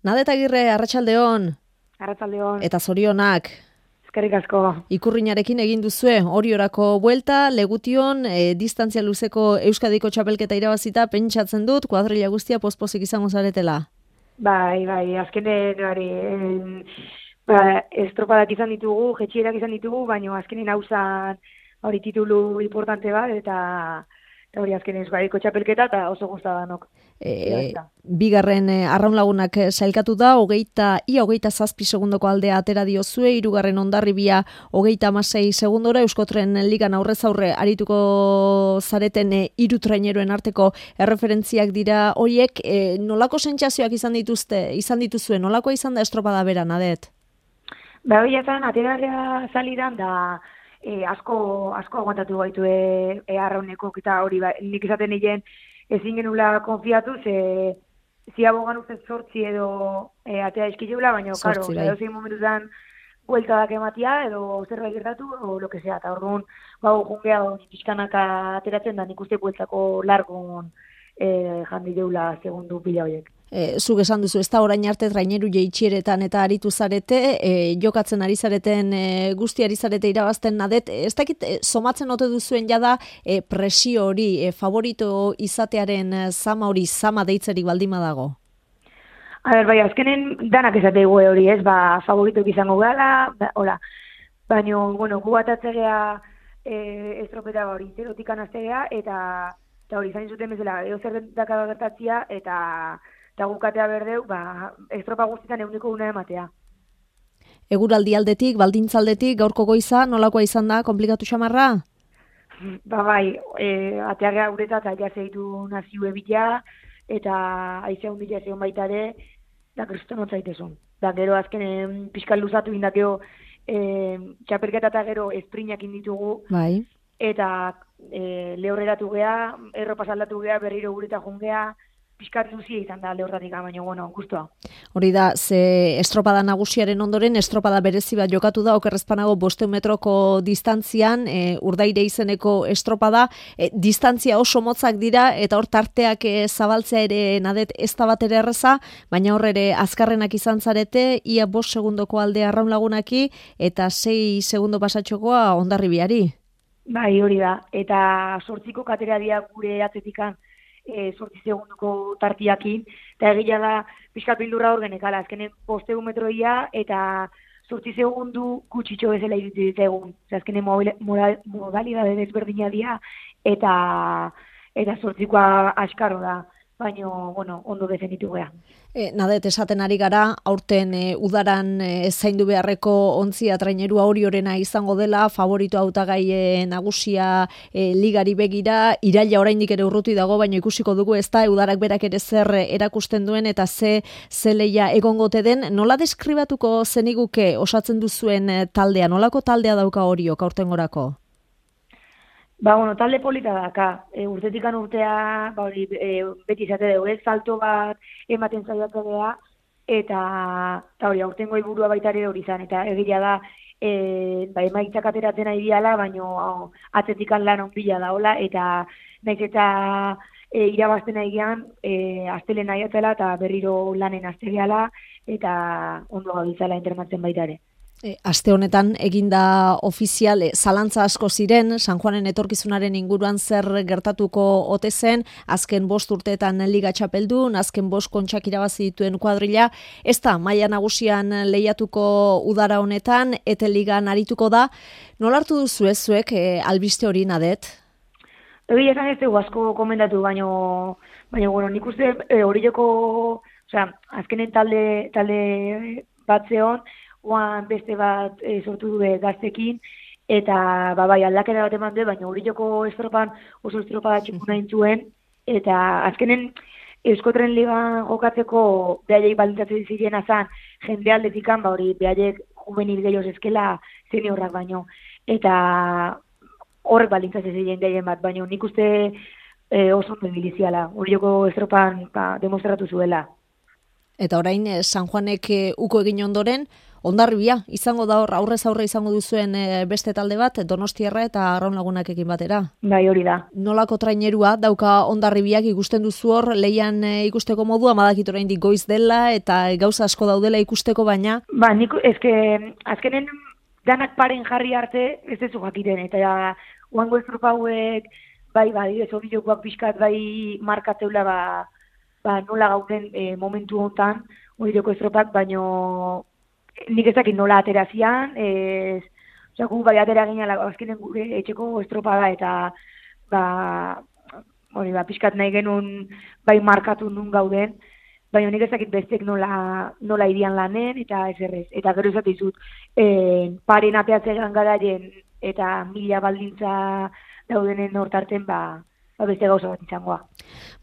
Nadet Agirre, arratsaldeon. Arratsaldeon. Eta zorionak. Eskerrik asko. Ikurrinarekin egin duzue, Oriorako buelta, Legution, distantzia luzeko Euskadiko txapelketa irabazita, pentsatzen dut, kuadrilla guztia pospozik izango zaretela. Bai, azkenen estropadak izan ditugu, jetxierak izan ditugu, baina azkenen hauzan hori titulu importante bat, eta hori azkenen Euskadiko txapelketa, eta oso gustadanok. Bigarren arraunlagunak sailkatu da, 27 segundoko aldea atera diozue, hirugarren Hondarribia 36 segundora, Euskotren ligan aurrez aurre arituko zareten hiru traineroen arteko erreferentziak dira horiek, nolako sentsazioak izan dituzue, nolakoa izan da estropada bera, Nadet? Ba, hori ezan, aterarrea salidan da asko aguantatu gaitu arraunekok, eta hori nik izaten nien ezin genula konfiatu, ziabogan uste 8 edo atea eskileula, baina, karo, zein momentutan bueltadak ematia, edo zerbait gertatu, o lo que sea, eta orduan, jungea pixkanaka ateratzen da, nik uste bueltako largon jandi deula segundu pila horiek. Zuk esan duzu, ez da orain arte traineru jeitxieretan eta aritu zarete, jokatzen ari zareten guzti ari zarete irabazten, Nadet, ez dakit somatzen ote duzuen jada presio hori, favorito izatearen zama deitzerik baldima dago? Bai, azkenen danak esate hori, ez, favoritok izango gala, baina, gu bat atzegea estropeta hori, zerotik anaztegea, eta hori izan zuten bezala, zer dakaba gertatzia, eta gukatea berdeu, estropa guztietan eguneko una ematea. Eguraldi aldetik, baldintzaldetik, gaurko goiza, nolakoa izan da, komplikatu xamarra? Bai, ateagea uretat, aia zeitu nazio ebitea, eta aizea hundila zeon baita ere, da kriston otzaitezun. Da gero azken pixkal luzatu indakeo, txapelketa eta gero esprinak inditugu, bai. Eta lehorreratu gea, erropa saldatu gea, berriro ureta jungea, pixkat zuzia izan da lehortatik, baina, guztua. Hori da, ze estropada nagusiaren ondoren, estropada berezi bat jokatu da, okerrezpanago 500 metroko distantzian, Urdaire izeneko estropada, distantzia oso motzak dira, eta hor tarteak zabaltzea ere, Nadet, ez da bat ere erreza, baina hor ere azkarrenak izan zarete, ia 5 segundoko aldea arraunlagunaki, eta 6 segundo pasatxokoa Hondarribiari. Bai, hori da, eta 8 katera dira gure atzetikan 8 segunduko tartiakin, eta egila da pixkat bildurra hor genekala, azkenen 500 metroia, eta 8 segundu kutsitxo bezala iruditzen egun. Azkenen modalidade desberdina dira, eta 8koa askaro da, baina, ondo defenditu gea. Nadet, esaten ari gara, aurten udaran zaindu beharreko ontzia trainerua Oriorena izango dela, favorito hautagai nagusia ligari begira, iraila oraindik ere urruti dago, baina ikusiko dugu ez da, udarak berak ere zer erakusten duen, eta ze leia egongote den, nola deskribatuko zeniguke osatzen duzuen taldea, nolako taldea dauka Oriok aurten gorako? Talde polita daka, urtetikan urtea, beti izate dugu, salto bat ematen zaiatzea, eta hori, aurtengo helburua baita ere hori izan, eta egila da, emaitzak ateratzen ari diala, baina atzetikan lan onbila daola, eta naiz eta irabazten egian, astelen nahiatzela, eta berriro lanen astegeala, eta ondo gabiltzala internatzen baita ere. Aste honetan eginda ofizial, zalantza asko ziren, San Juanen etorkizunaren inguruan zer gertatuko ote zen, azken 5 urteetan liga txapeldun, azken 5 kontxak irabazi dituen kuadrilla, ez da maila nagusian lehiatuko udara honetan, eta ligan arituko da. Nola hartu duzu ez zuek albiste hori, Nadet? Egi esan ez dugu asko komendatu, baina nik uste Orioko, azkenen talde bat zeon, beste bat sortu du gaztekin, eta aldakera bat eman du, baina Orioko estropan oso estropada txikuna intzuen, eta azkenen Euskotren ligan jokatzeko behaiek baldintzatzen ziren azan, jende aldetikan, behaiek juvenil gehiagoz eskela seniorrak baino, eta horrek baldintzatzen ziren behaiek bat, baina nik uste oso ondo biliziala, Orioko estropan demostratu zuela. Eta orain San Juanek uko egin ondoren, Hondarribia izango da hor, aurrez aurre izango duzuen beste talde bat, Donostiarra eta Arraun Lagunakekin batera. Bai, hori da. Nolako trainerua dauka Hondarribiak ikusten duzu hor, lehian ikusteko modua, badakit oraindik goiz dela eta gauza asko daudela ikusteko, baina... Ba, nik, azkenen danak paren jarri arte, ez dezu jakiten, eta oango estropa hauek, bai, horijokoak pixkat, bai, markateula, nola gauden momentu hontan, horijoko estropak, baino nik ezakit nola aterazian, gu bai atera ginen, azkenen gure etxeko estropa da, eta pixkat nahi genuen bai markatu nun gauden, baina nik ezakit bestek nola irian lanen, eta ez errez. Eta gero izatizut, paren ateatzean garaien, eta mila baldintza daudenen hortarten, beste gauza bat izangoa.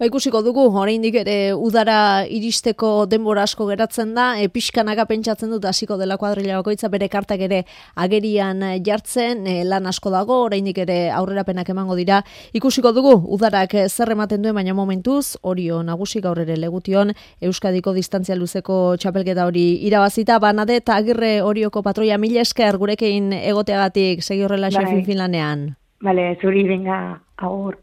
Ikusiko dugu, oraindik ere udara iristeko denbora asko geratzen da, pixkanaka pentsatzen dut hasiko dela kuadrilla bakoitza bere kartak ere agerian jartzen, lan asko dago, oraindik ere aurrerapenak emango dira. Ikusiko dugu, udarak zer ematen duen, baina momentuz, Orio nagusi gaur ere Legution, Euskadiko distantzia luzeko txapelketa hori irabazita, Banade eta Agirre Orioko patroia, mila esker gurekin egoteagatik, segi horrela fin lanean. Bale, zuri, venga, agur.